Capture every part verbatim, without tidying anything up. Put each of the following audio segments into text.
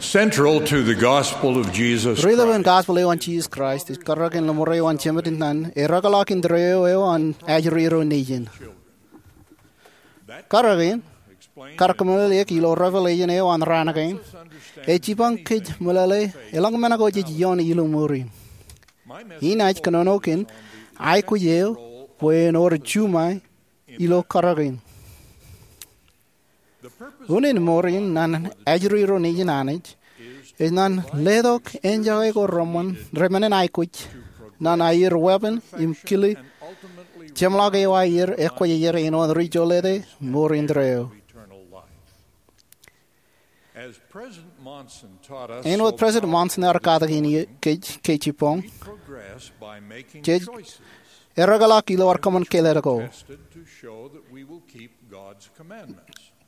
Central to the gospel of Jesus Ri-lōb in Christ gospel eo an Jesus Christ ej karōk in lōṃaro eo an Jemed in naan erōkḷọk indeeo eo an ajri ro nejin. Karōk in, kar kōmeḷeḷeik ilo Revelation eo an raan kein, ej jipañ kōj meḷeḷe eḷaññe men ko jej ioon ilo mour in. Inaaj kōnono kōn aikuj eo bwe en wōr juṃae ilo karōk in. Unin mour in naan ajri ro nejin Anij ej naan letok enjake ko reṃṃan, reṃṃan in aikuj naan aier weeppān im kile jeṃḷọk eo aier ekwōjarjar āinwōt ri jolōte mour indeeo. Āinwōt President Monson ear katakin kōj ke jibboñ, jej erōkḷọk ilo ad kōṃṃan kāālōt ko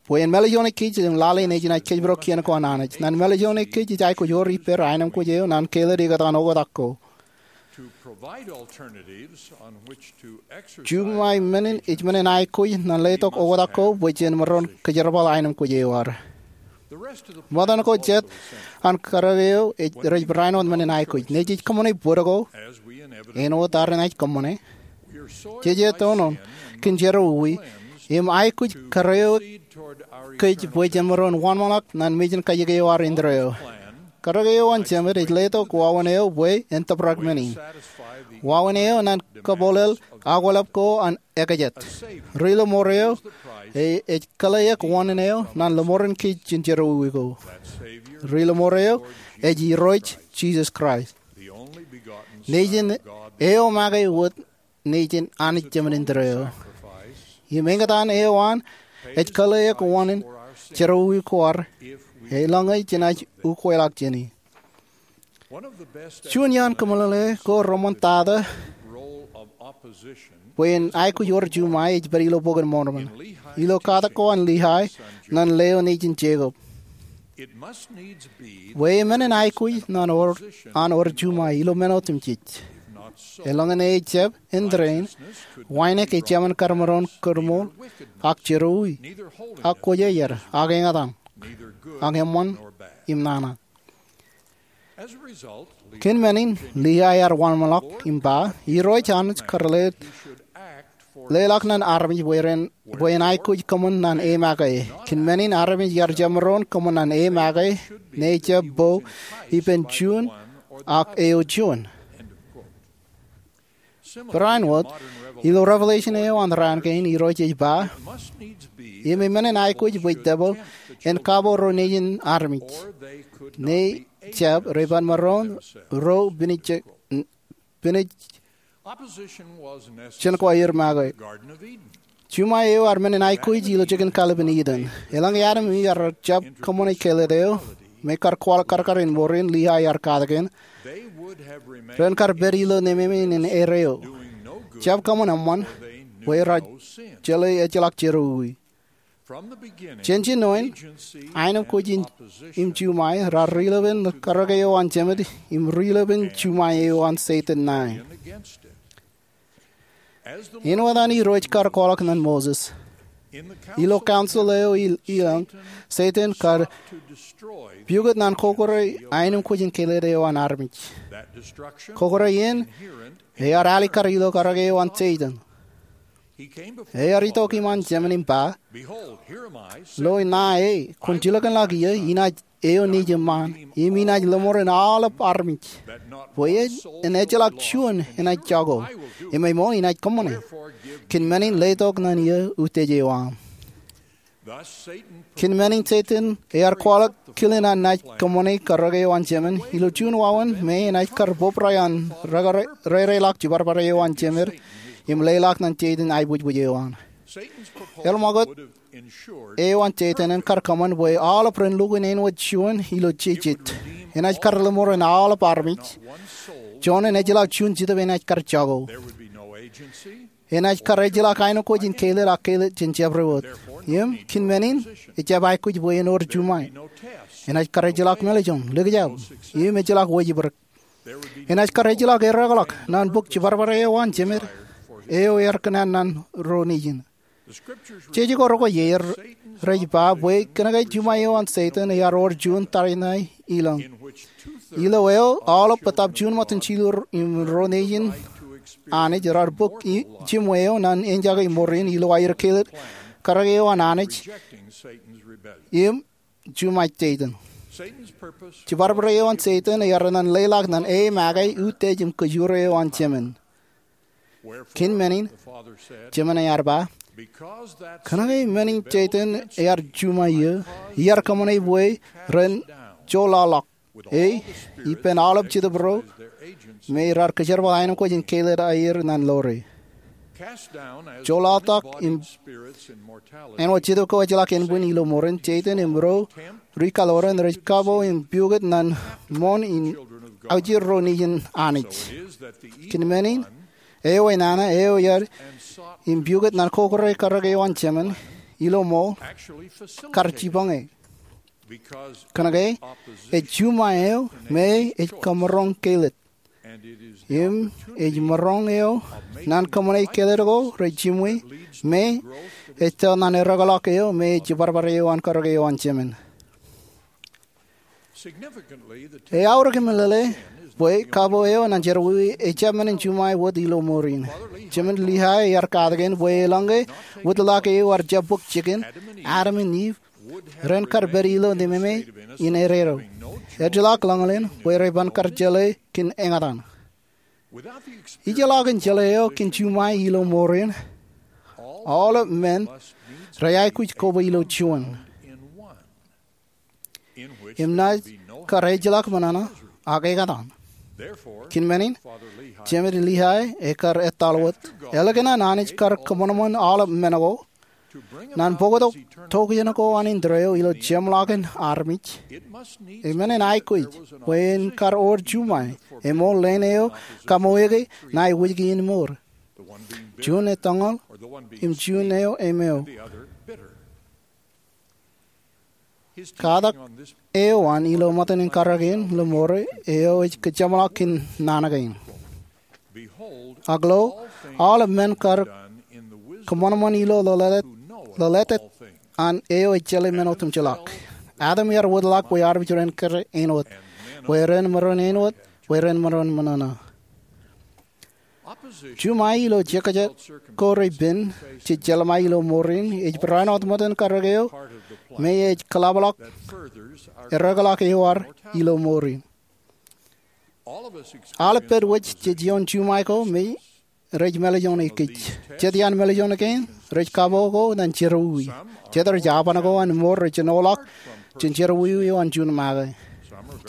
bwe en mālejone kōj im lale nejin ej kōjparok kien ko an Anij. Naan mālejone kōj ej aikuj wōr ippāer aenōṃ kōj eo naan kāālōt ikōtaan oktak ko. Juṃae men in ej men in aikuj naan letok oktak ko bwe jen maroñ kōjerbal aenōṃ kōj eo ad. Ṃōttan ko jet an karōk eo rej barāinwōt men in aikuj. Nejej kōṃṃane bōd ko āinwōt ad enaaj kōṃṃane, jej etono kōn jerọwiwi im aikuj kōrreoik kōj bwe jen maroñ wōnṃaanḷọk naan mejān kajjik eo ad indeeo. Karōk eo an Jemed ej letok wāween eo bwe en tōprak men in. Wāween eo naan kabwilōñ akwālep ko an ekajet. Ri-lōṃaro eo ej kōlleaik wāween eo naan lōṃaro kōj jān jerọwiwi ko. Ri-lōṃaro eo ej Irooj Jisōs Kraist, Nejin eo make wōt nejin Anij Jemed indeeo. Im eñtaan eo an ej kōlleaik wāween jerọwiwi ko ad eḷaññe jenaaj ukweḷọk jāne. Juon iaan kōmeḷeḷe ko reṃṃan tata bwe en aikuj wōr juṃae ej pād ilo Bok in Mormon ilo katak ko an Liai ñan leo nejin Jekob. Bwe men in aikuj an wōr juṃae ilo men otemjej. Eḷaññe ejjab indeeo, wānōk ejāmin kar maroñ kōrmool, ak jerọwiwi, ak kwōjarjar, ak eñtaan, ak eṃṃan im nana. Kōn men in Liai ear wōnṃaanḷọk im ba Irooj Anij kar leḷọk ñan armej bwe en aikuj kōṃṃan ñan e make. Kōn men in armej ear jab maroñ kōṃṃan ñan e make ñe ejjab bo ippān juon ak eo juon. Barāinwōt, ilo Revelation eo an raan kein Irooj ej ba, im men in aikuj bwe debwāāl en kabo ro nejin armej ñe ejjab rej ban maroñ ro pinij jān ko aer make. Juṃae eo ear men in aikuj ilo jikin kallib in Eden. Eḷaññe Adam im Iv ear jab kōṃṃane kāālōt eo me kar kwaḷọk karkar in mour in Liai ear katakin, ren kar pād ilo nemāmein in erreo, jab kōṃṃan eṃṃan, bwe rej jeḷā ejjeḷọk jerọwiwi. Jān jinoin, aenōṃ kōj im juṃae raar ri-lōpen karōk eo an Jemed im ri-lōpen juṃae eo an Setan ṇae. Āinwōt an Irooj kar kwaḷọk ñan Moses ilo council eo ilōñ, Setan kar piukūt ñan kokore aenōṃ kōj im kāālōt eo an armej. Kokore in ear alikkar ilo karōk eo an Setan. Ear itok iṃaan Jemed im ba, Lo, ṇae, kwōn jilkinḷọk ie, inaaj eo nejiṃṃaan, im inaaj lōṃaro aolep armej, bwe en ejjeḷọk juon enaaj jako, im ṃool inaaj kōṃṃane. Kōn men in letok ñan ie utiej eo aṃ. Kōn men in Setan ear kwaḷọk kile ñan naaj kōṃṃane karōk eo an Jemed ilo juon wāween me enaaj kar bōbrae an reireḷọk jibadbad eo an Jemed im leḷọk ñan Setan aiboojoj eo an. Eḷap ṃakūt eo an Setan en kar kōṃṃan bwe aolep ren lukkuun āinwōt juon ilo jejet. Enaaj kar lōṃaro aolep armej. Juon en ejjeḷọk juon Jetōb enaaj kar jako. Enaaj kar ejjeḷọk aenōṃ kōj in kāālōt ak kāālōt jān jabdewōt. Im kōn men in, ejjab aikuj bwe en wōr juṃae. Enaaj kar ejjeḷọk mālejjoñ, likjab, im ejjeḷọk wōjibrik. Enaaj kar ejjeḷọk erōkḷọk ñan bōk jibadbad eo an Jemed eo ear kōṇaan ñan ro nejin. Jej ko rekwōj er rej ba bwe kōnke juṃae eo an Setan ear wōr juon tariṇae ilōñ. Ilo eo aolep bōtab juon ṃōttan jilu im ruo nejin Anij raar bōk jiṃwe eo ñan enjake mour in ilo aer kelōt karōke eo an Anij im juṃae Setan. Jibarbare eo an Setan ear ñan leḷọk ñan e make utiej im kōjro eo an Jemān. Kōn men in, Jemān ear ba, kōnke men in Setan ear juṃae eō, iar kōṃṃane bwe ren joḷọḷọk e ippān aolep jetōb ro me raar kōjerbal aenōkwōj in kelōt aer ñan ḷoore. Joḷọḷọk im āinwōt jetōb ko ejjeḷọk ānbwin ilo mour in, Setan im ro ri kaḷoran rej kabo im piukot ñan ṃoṇ in aujir ro nejin Anij. Kōn men in, eo enana eo ear im piukot ñan kokore karōke eo an Jemān ilo ṃool kar jipañ e. Kōnke ej juṃae eo me ej kōmroñ kelōt. Im ej maroñ eo ñan kōṃṃane kelōt ko rej jiṃwe me ej tōl ñan erekḷọk eo me ej jibarbare eo an karōke eo an Jemān. Eaorōk im lōḷōḷ bwe kabo eo ñan jerọwiwi ejjab men in juṃae wōt ilo mour in. Jemān Lihae ear katakin bwe eḷaññe wūtḷọk eo ear jab bōk jikin, Adam im Iv ren kar pād ilo nememe in eddo. Ejjeḷọk ḷōñḷōñ bwe rej ban kar jeḷā kōn eñtaan. Ijellọkin jeḷā eo kōn juṃae ilo mour in, aolep men rej aikuj koba ilo juon, im naaj kar ejjeḷọk ṃōṇōṇō ak eñtaan. Kōn men in, Jemān Lihae ekar etal wōt, ālikin an Anij kar kōṃanṃan aolep men ko ñan bōktok tokjān ko an indeeo ilo jeṃḷọkin armej, eṃṃan aikuj bwe en kar wōr juṃae, eṃool leen eo kaṃōj ke ña ewōjke in mour, juon etōñal im juon eo emeo. Katak eo an ilo ṃōttan in karōk in ilo mour eo ej kōjeṃḷọk kōn naan kein. Ak lo, aolep men kar kōṃanṃan ilo ḷōḷātāt an eo ej jeḷā men otemjeḷọk. Adam ear wōtlọk bwe armej ren kōrā āinwōt, bwe ren maroñ āinwōt, bwe ren maroñ ṃōṇōṇō. Juṃae ilo jekjek ko rej pen jej jeḷā ilo mour in ej barāinwōt ṃōttan karōk eo me ej kōḷapḷọk erekḷọk eo ad ilo mour in. Aolep pād wōj jej ioon juṃae ko me rej mālejjoñe kōj. Jet iaan mālejjoñe kein rej kabo ko ñan jerọwiwi. Jet rej aban ko an mour rej jinoḷọk jān jerọwiwi eo an juon make.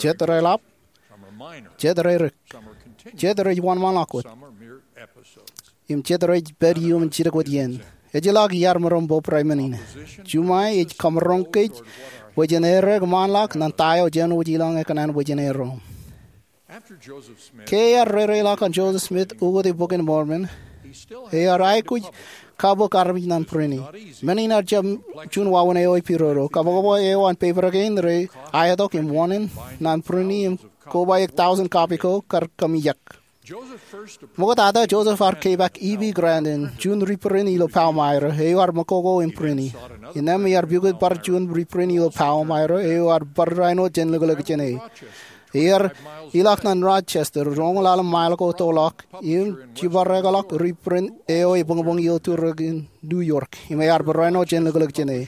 Jet reḷap, jet rerik, jet rej wōnṃaanḷọk wōt, im jet rej pād iuṃwin jidik wōt iien. Ejjeḷọk iar maroñ bōbrae men in. Juṃae ej kōmroñ kōj bwe jen errā kōṃṃanḷọk ñan ta eo jenaaj ilọk ñe kōṇaan bwe jen errā. Ke ear reireḷọk an Joseph Smith ukōte Bok in Mormon, ear aikuj kabōk armej ñan print e. Men in ear jab juon wāween eo epidodo. Kabokbok eo an pepa kein rej aetok im wōṇāān ñan print e im kobaik tọujin copy ko kar kōmijak. Ṃoktata Joseph ear kepaak E. B. Grandin, juon reprint ilo Palmyra, eo ear ṃōk koko im print e. Innām ear piukot bar juon reprint ilo Palmyra, eo ear bar āinwōt jān liklik jān e. Ear ilọk ñan Rochester, roñoul ḷalem mile ko tōlḷọk, im jiparekḷọk reprint eo ebuñbuñ ilo turuk in New York, im ear bar āinwōt jān liklik jān e.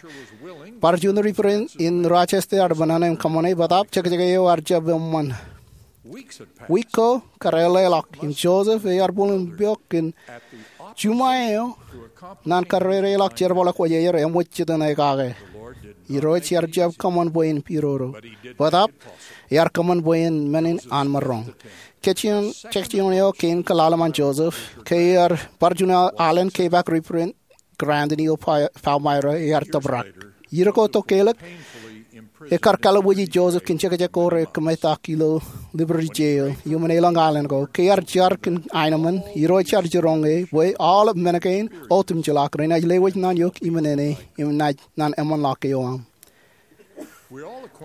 Bar juon reprint in Rochester ear ṃōṇōṇō im kōṃṃane, bōtaab jekjek eo ear jab eṃṃan. Wiik ko kar eḷḷāḷọk im Joseph ear bōlen peok kōn juṃae eo ñan kar reireḷọk jerbal eo kwōj aer eṃōj jitōñ kake. Irooj ear jab kōṃṃan bwe en pidodo. Bōtaab ear kōṃṃan bwe en men in an maroñ. Kōjeañ, kōjeañ eo kein kōḷalem an Joseph, ke ear bar juon alen kepaak reprint Grandin ilo Palmyra, ear tōprak. Iiō ko tokālik, ekar kalbuuji Joseph kōn jekjek ko rekōmetak ilo Liberty Jail, iuṃwin elōñ alen ko. Ke ear jar kōn aenōṃṃan, irooj ear jiroñ e bwe aolep men kein otemjeḷọk renaaj lewōj ñan eok iṃōn e im naaj ñan eṃṃanḷọk eo aṃ.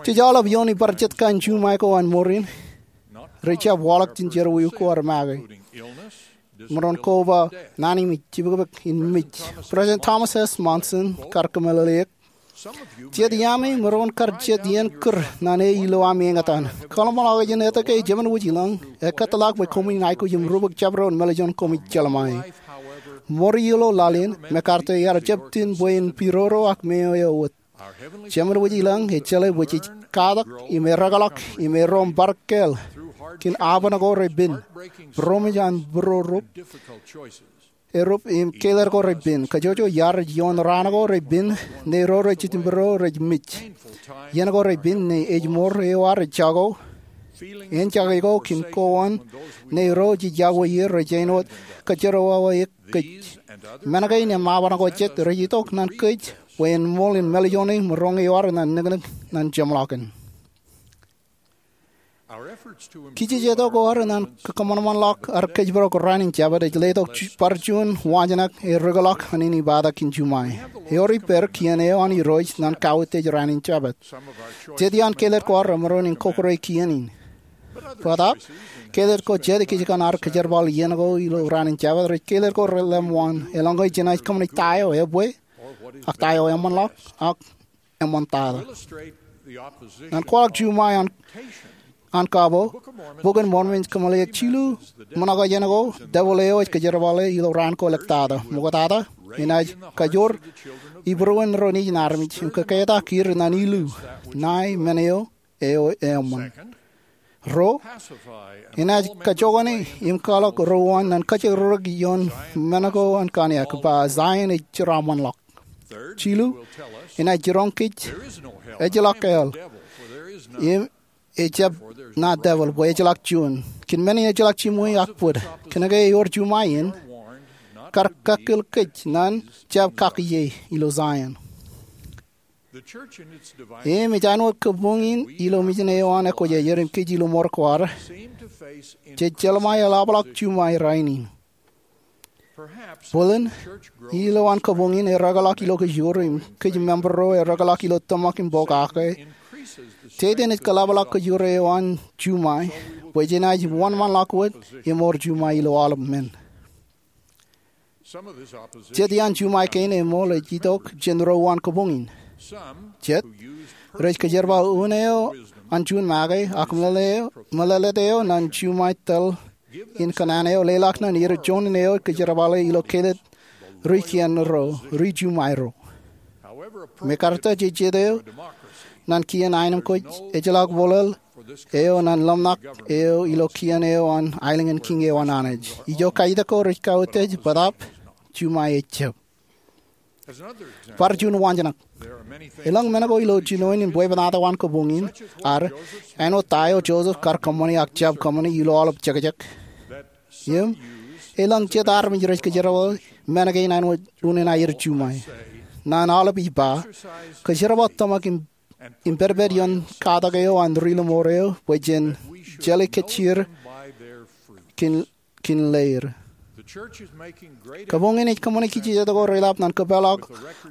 Jej aolep iooni bar jet kain juṃae ko an mour in, rej jab waḷọk jān jerọwiwi ko ad make. Maroñ koba naan im ej jibukbuk in mej. President Thomas S. Monson kar kōmeḷeḷeik, jet iaami maroñ kar jet iien kūr naan e ilo ami eñtaan. Kōḷmānḷọkjeṇ etke Jemān Wōj Ilañ ekōtḷọk bwe koṃwin aikuj im rubak jabdewōt mālejān koṃij jeḷā ṃae. Ṃool ilo laḷ in, MacArthur ear jab tiñ bwe en piroro ak meo eo wōt. Jemān Wōj Ilañ ej jeḷā bwe jej katak im erōkḷọk im erom bar kāāl kōn aban ko repen, būroṃōj an būrorup, erup im kāālōt ko repen. Kōjwōj iar ej ioon raan ko repen ṇe ro rej jitōnbōro rej mej, iien ko repen ṇe ejmour eo ad ej jako, āinjake ko kōn kowaan ṇe ro jej iọkwe er rej āinwōt kōjerawawaik kōj. Men kein im aban ko jet rej itok naan kōj bwe en ṃool in mālejān e maroñ ewōr naan niknik naan jeṃḷọkin. Kijejetok ko ad naan kōṃanṃanḷọk ad kōjparok raan in Jabōt ej letok ju-, bar juon waanjoñak ear rūkḷọk an ej ippatak kōn juṃae. Ewōr ippāer kien eo an Irooj naan kautiej raan in Jabōt. Jet iaan kāālōt ko ad remaroñ in kokkure kien in. Bōtaab, kāālōt ko jet ikijjien ad kōjerbal iien ko ilo raan in Jabōt rej kāālōt ko relemwaan, eḷaññe jenaaj kōṃṃane ta eo ebwe, ak ta eo eṃṃanḷọk, ak eṃṃantata. Naan kwaḷọk juṃae an, an kabo, Bok in Mormon ej kōmeḷeḷeik jilu ṃōṇōṇō ko, devil eo ej kōjerbale ilo raan ko eḷḷọk tata. Ṃoktata, enaaj kajoor ibūruon ro nejin armej im kōketak er naan ilu, ṇae men eo eo eṃṃan. Ruo, enaaj kajokane im kwaḷọk ro uwaan naan kōjro rūkaki ioon men ko an kōṇaan, ba Zion ej jeraaṃṃanḷọk. Jilu, enaaj jiroñ kōj ejjeḷọk hell im ejjab ṇa devil bwe ejjeḷọk juon. Kōn men in ejjeḷọk jiṃwe ak bōd. Kōnke ewōr juṃae in, kar kakkōl kōj naan jab kakiiō ilo Zion. Im ej āinwōt kabuñ in ilo mejān eo an ekwōjarjar im kōj ilo ṃor ko ad, jej jeḷā ṃae eḷapḷọk juṃae rainin. Bōlen, ilowaan kabuñ in erōkḷọk ilo kōjro im kōj member ro erōkḷọk ilo tōmak im pokake. Satan ej kōḷapḷọk kōjro eo an juṃae bwe jenaaj wōnṃaanḷọk wōt im ewōr juṃae ilo aolep men. Jet iaan juṃae kein eṃool ej itok jān ro uwaan kabuñ in. Jet, rej kōjerbal un eo an juon make, ak meḷeḷe eo, meḷeḷeet eo naan juṃae tōl in kōṇaan eo leḷọk naan er juon eo kōjerbale ilo kāālōt ri kien ro, ri juṃae ro. MacArthur jej jet eo naan kien aenōṃ ko ejjeḷọk bōlel eo naan ḷōmṇak eo ilo kien eo an aelōñ in kiiñ eo an Anij. Ijo kajjitōk ko rej kautiej, bōtaab juṃae ejjab. Bar juon waanjoñak. Elōñ men ko ilo jinoin in bwebwenato an kabuñ in ad, āinwōt ta eo Joseph kar kōṃṃane ak jab kōṃṃane ilo aolep jekjek. Im, elōñ jet armej rej kōjerbale men kein āinwōt unin aer juṃae. Naan aolep ij ba, kōjerbal tōmak im, im pedped ioon katak eo an ri lọmọọr eo bwe jen jeḷā kōjjier kōn, kōn leer. Kabuñ in ej kōṃṃane kijejet ko reḷap naan kōpeḷḷọk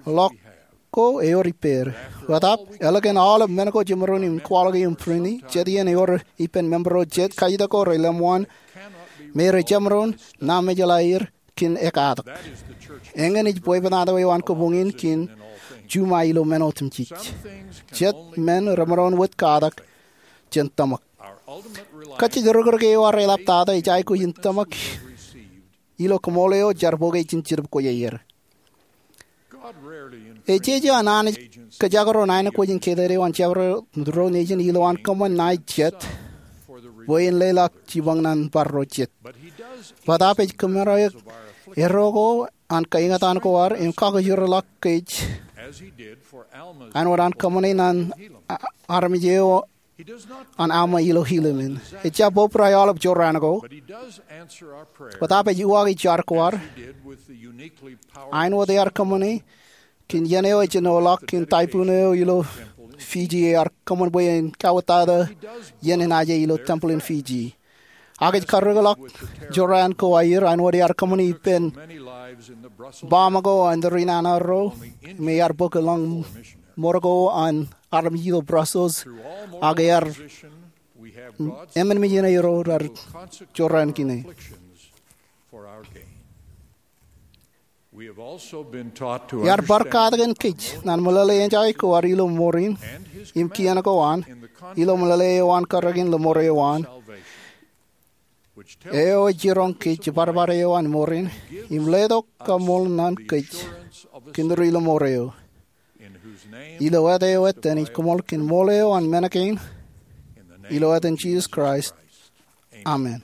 ḷọk ko ewōr ippāer. Bōtaab, ālikin aolep men ko jemaroñ in kwaḷọk im prini, jet iien ewōr ippān member ro jet kajjitōk ko relemwaan me rej jemaroñ ṇa mejeḷā er kōn ekkatak. Eñin ej bwebwenato eo an kabuñ in kōn juṃae ilo men otemjej. Jet men remaroñ wōt katak jān tōmak. Kajjitōk rūkrūk eo ad reḷaptata ej aikuj in tōmak ilo kaṃool eo jar bok eo ijin Jetōb Kwōjarjar. Ejeje an Anij kōjak ro nañinkwōj in kāālōt eo an jabdewōt ro nejin ilowaan kōṃṃan ṇae jet bwe en leḷọk jipañ naan bar ro jet. Bōtaab ej kōmāer eo, erro ko an kaeñtaan ko ad im kakōjro ḷọk kōj āinwōt an kōṃṃane naan a-, armej eo an Alma ilo Helaman. Ejjab obrak aolep jorrāān ko, bōtaab ej uwaak ijo ad kwaar, āinwōt ear kōṃṃane kōn iien eo ejenoḷọk kōn typhoon eo ilo Fiji ear kōṃṃan bwe en kauwōttata iien enaaj ilo tempel in Fiji. Ak ej karreoḷọk jorrāān ko aer āinwōt ear kōṃṃane ippān baaṃ ko an ri nana ro, im ear bōk lọñiṃōn ko an armej ilo Brussels, ak ear emān mejān ro raar jorrāān kine. Iar bar katak kōn kōj ñan meḷeḷe in ej aikuj ad ilo mour in im kien ko an ilo meḷeḷe eo an kōrā in lemour eo an, eo ej jiroñ kōj jibadbad eo an mour in im letok kaṃool ñan kōj kōn ri lemour eo. Ilo āt eo etan ij koṃṃool kōn ṃool eo an men kein, ilo etan Jisōs Kraist, amen.